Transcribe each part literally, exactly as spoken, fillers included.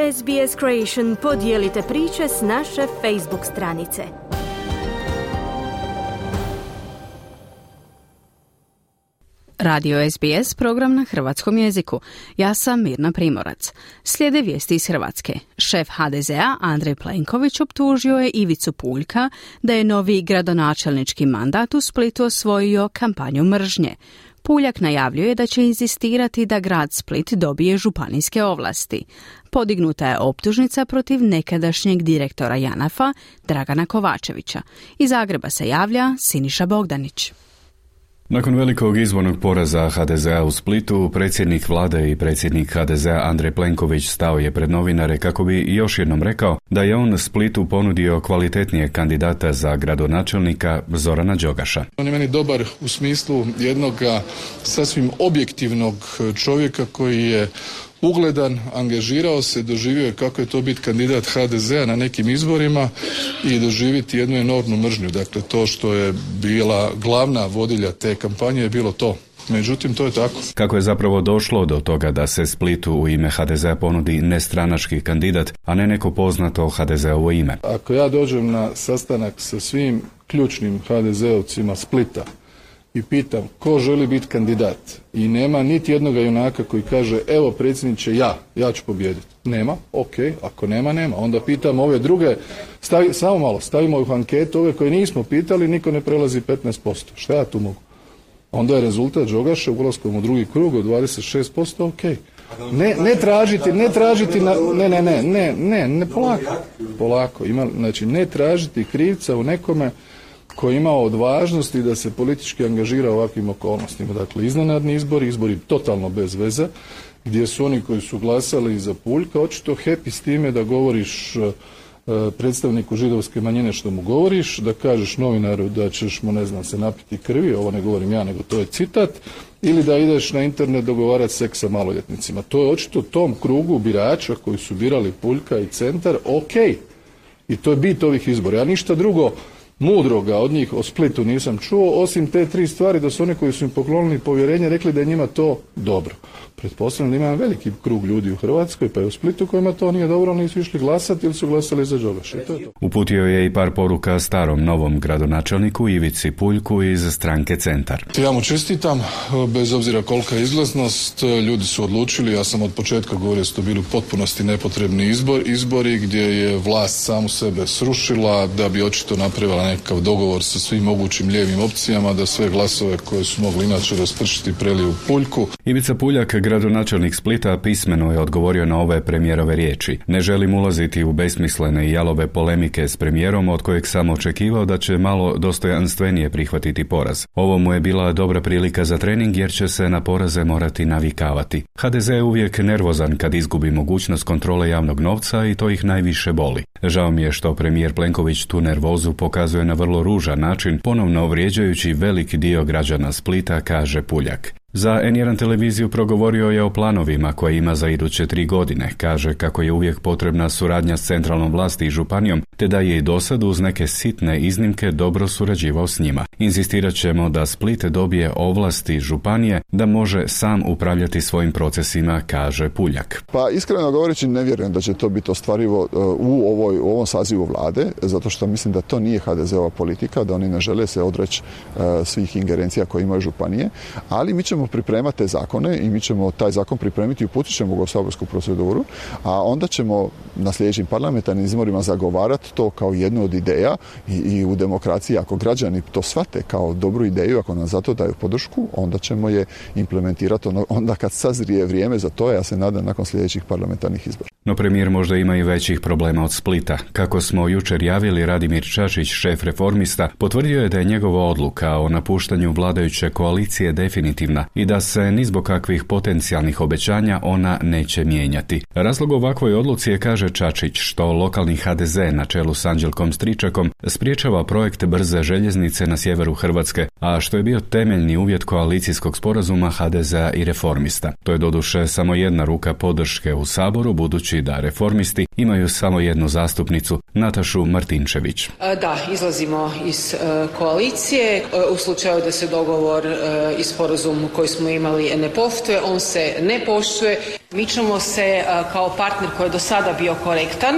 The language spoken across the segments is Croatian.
S B S Creation podijelite priče s naše Facebook stranice. Radio S B S, program na hrvatskom jeziku. Ja sam Mirna Primorac. Slijede vijesti iz Hrvatske. Šef H D Z A Andrej Plenković optužio je Ivicu Puljka da je novi gradonačelnički mandat u Splitu osvojio kampanju mržnje. Puljak najavljuje da će inzistirati da grad Split dobije županijske ovlasti. Podignuta je optužnica protiv nekadašnjeg direktora Janafa Dragana Kovačevića. Iz Zagreba se javlja Siniša Bogdanić. Nakon velikog izbornog poraza H D Z A u Splitu, predsjednik vlade i predsjednik H D Z A Andrej Plenković stao je pred novinare kako bi još jednom rekao da je on Splitu ponudio kvalitetnijeg kandidata za gradonačelnika Zorana Đogaša. On je meni dobar u smislu jednog sasvim objektivnog čovjeka koji je ugledan, angažirao se, doživio je kako je to biti kandidat H D Z A na nekim izborima i doživjeti jednu enormnu mržnju. Dakle, to što je bila glavna vodilja te kampanje je bilo to. Međutim, to je tako. Kako je zapravo došlo do toga da se Splitu u ime H D Z A ponudi nestranački kandidat, a ne neko poznato H D Z A-ovo ime? Ako ja dođem na sastanak sa svim ključnim H D Z ovcima Splita i pitam ko želi biti kandidat i nema niti jednog junaka koji kaže evo predsjedniče ja, ja ću pobijediti. Nema, ok, ako nema, nema. Onda pitam ove druge, stavi, samo malo, stavimo u anketu ove koje nismo pitali, niko ne prelazi petnaest posto. Šta ja tu mogu? Onda je rezultat Đogaša ulaskom u drugi krug od dvadeset šest posto, ok. Ne, ne tražiti, ne tražiti, na, ne, ne, ne, ne, ne, ne, polako, polako. Ima, znači, ne tražiti krivca u nekome koji ima odvažnosti da se politički angažira u ovakvim okolnostima. Dakle, iznenadni izbori, izbori totalno bez veze, gdje su oni koji su glasali za Puljka očito happy s time da govoriš uh, predstavniku židovske manjine što mu govoriš, da kažeš novinaru da ćeš mu, ne znam, se napiti krvi, ovo ne govorim ja, nego to je citat, ili da ideš na internet dogovarati seks sa maloljetnicima. To je očito tom krugu birača koji su birali Puljka i Centar, ok. I to je bit ovih izbora. Ja ništa drugo mudroga od njih o Splitu nisam čuo, osim te tri stvari da su oni koji su im poklonili povjerenje rekli da je njima to dobro. Pretpostavljam da ima veliki krug ljudi u Hrvatskoj, pa i u Splitu kojima to nije dobro, ali nisu išli glasati ili su glasali za Đogaša. To je to. Uputio je i par poruka starom novom gradonačelniku Ivici Puljku iz stranke Centar. Ja mu čestitam, bez obzira kolika je izlaznost, ljudi su odlučili, ja sam od početka govorio da su to bili u potpunosti nepotrebni izbor, izbori gdje je vlast samu sebe srušila da bi očito napravila nekakav dogovor sa svim mogućim lijevim opcijama da sve glasove koje su mogli inače raspršiti preliju Puljku. Ivica Puljak, gradonačelnik Splita, pismeno je odgovorio na ove premijerove riječi. Ne želim ulaziti u besmislene i jalove polemike s premijerom od kojeg sam očekivao da će malo dostojanstvenije prihvatiti poraz. Ovo mu je bila dobra prilika za trening jer će se na poraze morati navikavati. H D Z je uvijek nervozan kad izgubi mogućnost kontrole javnog novca i to ih najviše boli. Žao mi je što premijer Plenković tu nervozu pokazuje na vrlo ružan način, ponovno vrijeđajući veliki dio građana Splita, kaže Puljak. Za N jedan televiziju progovorio je o planovima koje ima za iduće tri godine. Kaže kako je uvijek potrebna suradnja s centralnom vlasti i županijom, te da je i dosad uz neke sitne iznimke dobro surađivao s njima. Inzistirat ćemo da Split dobije ovlasti županije da može sam upravljati svojim procesima, kaže Puljak. Pa iskreno govoreći ne vjerujem da će to biti ostvarivo u, ovoj, u ovom sazivu vlade, zato što mislim da to nije H D Z-ova politika, da oni ne žele se odreći uh, svih ingerencija koje imaju županije, ali mi ćemo pripremati te zakone i mi ćemo taj zakon pripremiti i uputit ćemo ga u saborsku proceduru, a onda ćemo na sljedećim parlamentarnim izborima zagovarati to kao jednu od ideja i, i u demokraciji ako građani to shvate kao dobru ideju, ako nam za to daju podršku, onda ćemo je implementirati ono, onda kad sazrije vrijeme za to, ja se nadam nakon sljedećih parlamentarnih izbora. No premijer možda ima i većih problema od Splita. Kako smo jučer javili, Radimir Čačić, šef Reformista, potvrdio je da je njegova odluka o napuštanju vladajuće koalicije definitivna i da se ni zbog kakvih potencijalnih obećanja ona neće mijenjati. Razlog ovakvoj odluci je, kaže Čačić, što lokalni H D Z na čelu s Anđelkom Stričakom spriječava projekt brze željeznice na sjeveru Hrvatske, a što je bio temeljni uvjet koalicijskog sporazuma H D Z-a i Reformista. To je doduše samo jedna ruka podrške u Saboru, budući da Reformisti imaju samo jednu zastupnicu, Natašu Martinčević. Da, izlazimo iz koalicije. U slučaju da se dogovor i sporazum koji smo imali ne poštuje, on se ne poštuje. Mi ćemo se kao partner koji je do sada bio korektan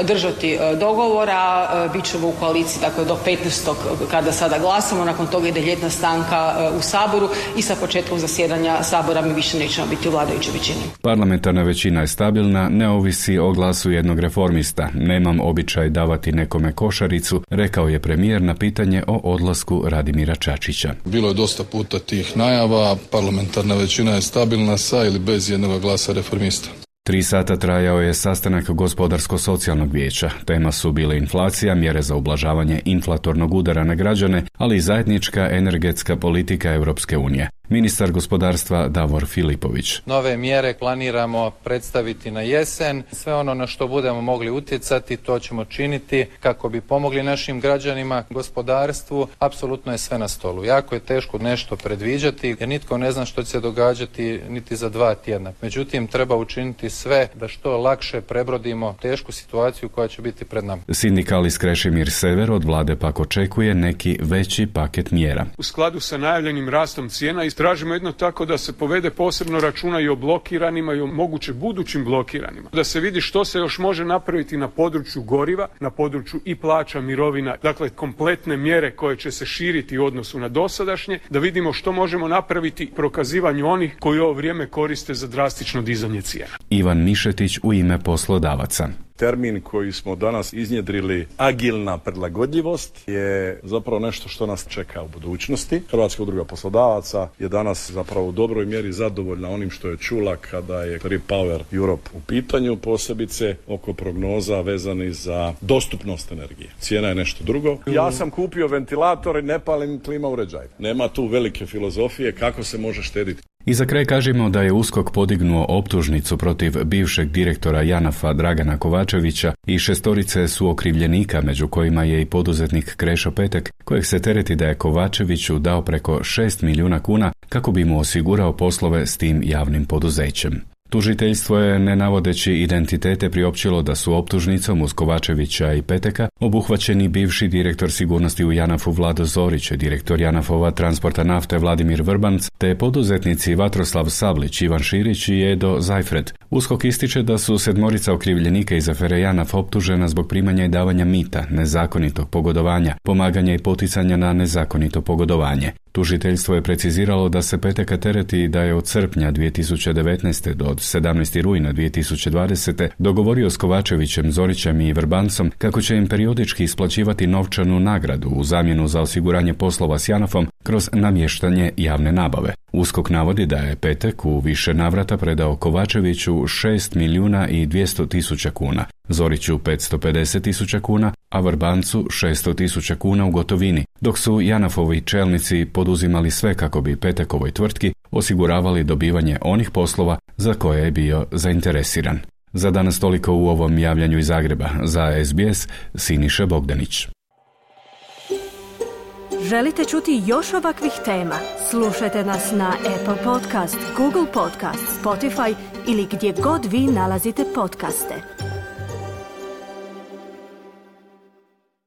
držati dogovora, bit ćemo u koaliciji dakle, do petnaestog kada sada glasamo, nakon toga ide ljetna stanka u Saboru i sa početkom zasjedanja Sabora mi više nećemo biti u vladajućoj većini. Parlamentarna većina je stabilna, ne ovisi o glasu jednog reformista. Nemam običaj davati nekome košaricu, rekao je premijer na pitanje o odlasku Radimira Čačića. Bilo je dosta puta tih najava, parlamentarna većina je stabilna sa ili bez jednog glasa reformista. Tri sata trajao je sastanak Gospodarsko-socijalnog vijeća. Tema su bile inflacija, mjere za ublažavanje inflatornog udara na građane, ali i zajednička energetska politika Europske unije. Ministar gospodarstva Davor Filipović. Nove mjere planiramo predstaviti na jesen. Sve ono na što budemo mogli utjecati, to ćemo činiti kako bi pomogli našim građanima, gospodarstvu. Apsolutno je sve na stolu. Jako je teško nešto predviđati jer nitko ne zna što će se događati niti za dva tjedna. Međutim, treba učiniti sve da što lakše prebrodimo tešku situaciju koja će biti pred nama. Sindikalist Krešimir Sever od vlade pak očekuje neki veći paket mjera. U skladu sa najavljenim rastom cijena tražimo jedno tako da se povede posebno računa i o blokiranima i o moguće budućim blokiranima. Da se vidi što se još može napraviti na području goriva, na području i plaća, mirovina, dakle kompletne mjere koje će se širiti u odnosu na dosadašnje, da vidimo što možemo napraviti prokazivanju onih koji ovo vrijeme koriste za drastično dizanje cijena. Ivan Mišetić u ime poslodavaca. Termin koji smo danas iznjedrili, agilna prilagodljivost, je zapravo nešto što nas čeka u budućnosti. Hrvatska udruga poslodavaca je danas zapravo u dobroj mjeri zadovoljna onim što je čula kada je Repower Europe u pitanju, posebice oko prognoza vezanih za dostupnost energije. Cijena je nešto drugo. Ja sam kupio ventilator i ne palim klima uređaj. Nema tu velike filozofije kako se može štediti. I za kraj kažemo da je USKOK podignuo optužnicu protiv bivšeg direktora JANAF-a Dragana Kovačevića i šestorice su okrivljenika, među kojima je i poduzetnik Krešo Petek, kojeg se tereti da je Kovačeviću dao preko šest milijuna kuna kako bi mu osigurao poslove s tim javnim poduzećem. Tužiteljstvo je, ne navodeći identitete, priopćilo da su optužnicom uz Kovačevića i Peteka obuhvaćeni bivši direktor sigurnosti u JANAF-u Vlado Zorić, direktor JANAF-ova transporta nafte Vladimir Vrbanc, te poduzetnici Vatroslav Sablić, Ivan Širić i Edo Zajfred. USKOK ističe da su sedmorica okrivljenika iz afere JANAF optužena zbog primanja i davanja mita, nezakonitog pogodovanja, pomaganja i poticanja na nezakonito pogodovanje. Tužiteljstvo je preciziralo da se Peteka tereti da je od srpnja dvije tisuće devetnaeste do sedamnaestog rujna dvije tisuće dvadesete dogovorio s Kovačevićem, Zorićem i Vrbancom kako će im periodički isplaćivati novčanu nagradu u zamjenu za osiguranje poslova s JANAF-om kroz namještanje javne nabave. USKOK navodi da je Petek u više navrata predao Kovačeviću šest milijuna i dvjesto tisuća kuna, Zoriću petsto pedeset tisuća kuna, a Vrbancu šesto tisuća kuna u gotovini, dok su JANAF-ovi čelnici poduzimali sve kako bi Petekovoj tvrtki osiguravali dobivanje onih poslova za koje je bio zainteresiran. Za danas toliko u ovom javljanju iz Zagreba. Za S B S, Siniša Bogdanić. Želite čuti još ovakvih tema? Slušajte nas na Apple Podcast, Google Podcast, Spotify ili gdje god vi nalazite podcaste.